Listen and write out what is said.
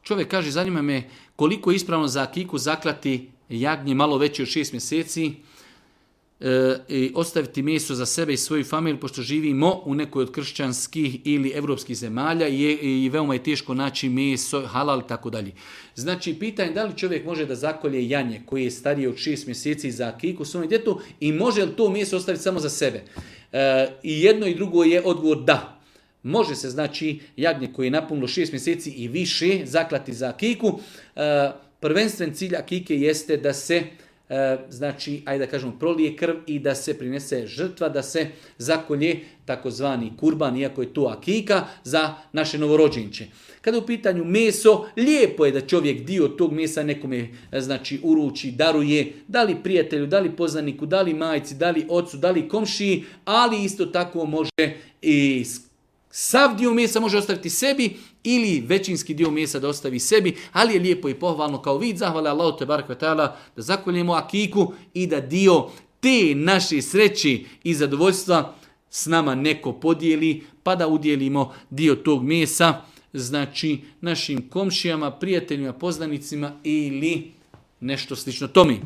Čovjek kaže, zanima me koliko je ispravno za akiku zaklati jagnje malo veće od 6 mjeseci i ostaviti meso za sebe i svoju familiju, pošto živimo u nekoj od kršćanskih ili evropskih zemalja i veoma je teško naći meso, halal i tako dalje. Znači, pitanje da li čovjek može da zakolje janje koje je starije od 6 mjeseci za akiku svome djetetu i može li to meso ostaviti samo za sebe? I jedno i drugo je odgovor da. Može se, znači, jagnje koje je napunilo 6 mjeseci i više zaklati za akiku. Prvenstven cilj akike jeste da se, znači, ajde da kažemo, prolije krv i da se prinese žrtva, da se zakolje takozvani kurban, iako je to akika, za naše novorođenče. Kada je u pitanju meso, lijepo je da čovjek dio tog mesa nekome, znači, uruči, daruje, da li prijatelju, da li poznaniku, da li majci, da li ocu, da li komšiji, ali isto tako može i sav dio mesa može ostaviti sebi ili većinski dio mesa da ostavi sebi, ali je lijepo i pohvalno kao vid zahvale Allahu te barek ve taala da zakoljemo akiku i da dio te naše sreće i zadovoljstva s nama neko podijeli, pa da udjelimo dio tog mesa, znači našim komšijama, prijateljima, poznanicima ili nešto slično tome.